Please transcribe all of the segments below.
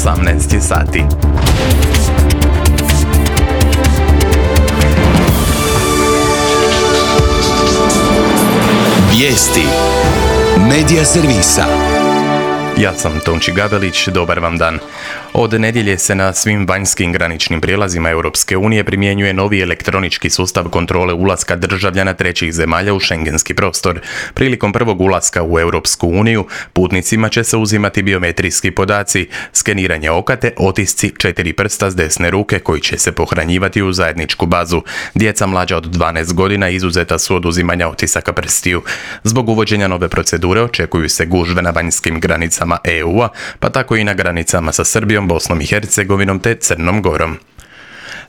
18 sati. Vijesti Medija servisa. Ja sam Tonči Gabelić, dobar vam dan. Od nedjelje se na svim vanjskim graničnim prijelazima Europske unije primjenjuje novi elektronički sustav kontrole ulaska državljana trećih zemalja u šengenski prostor. Prilikom prvog ulaska u Europsku uniju putnicima će se uzimati biometrijski podaci, skeniranje oka te otisci 4 prsta s desne ruke koji će se pohranjivati u zajedničku bazu. Djeca mlađa od 12 godina izuzeta su od uzimanja otisaka prstiju. Zbog uvođenja nove procedure očekuju se gužve na vanjskim granicama EU-a, pa tako i na granicama sa Srbijom, Bosnom i Hercegovinom te Crnom Gorom.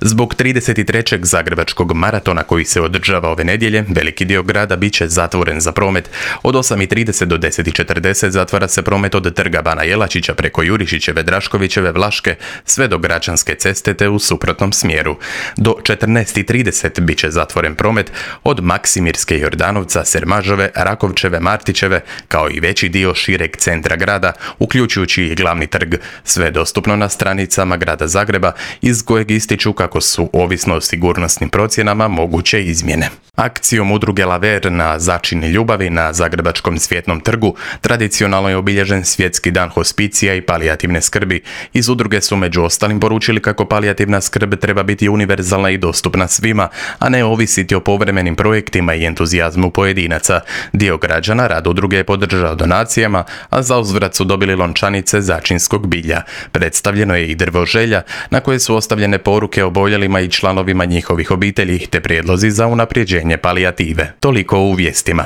Zbog 33. zagrebačkog maratona koji se održava ove nedjelje, veliki dio grada bit će zatvoren za promet. Od 8:30 do 10:40 zatvara se promet od Trga Bana Jelačića preko Jurišićeve, Draškovićeve, Vlaške, sve do Gračanske ceste te u suprotnom smjeru. Do 14:30 bit će zatvoren promet od Maksimirske i Jordanovca, Sermažove, Rakovčeve, Martićeve, kao i veći dio šireg centra grada, uključujući i glavni trg. Sve je dostupno na stranicama grada Zagreba, iz kojeg ističu kako su, ovisno o sigurnosnim procjenama, moguće izmjene. Akcijom udruge Laver na začini ljubavi na Zagrebačkom Cvjetnom trgu tradicionalno je obilježen Svjetski dan hospicija i palijativne skrbi. Iz udruge su među ostalim poručili kako palijativna skrb treba biti univerzalna i dostupna svima, a ne ovisiti o povremenim projektima i entuzijazmu pojedinaca. Dio građana rad udruge je podržao donacijama, a za uzvrat su dobili lončanice začinskog bilja. Predstavljeno je i drvo želja, na koje su ostavljene poruke oboljelima i članovima njihovih obitelji, te prijedlozi za unapređenje palijative. Toliko u vijestima.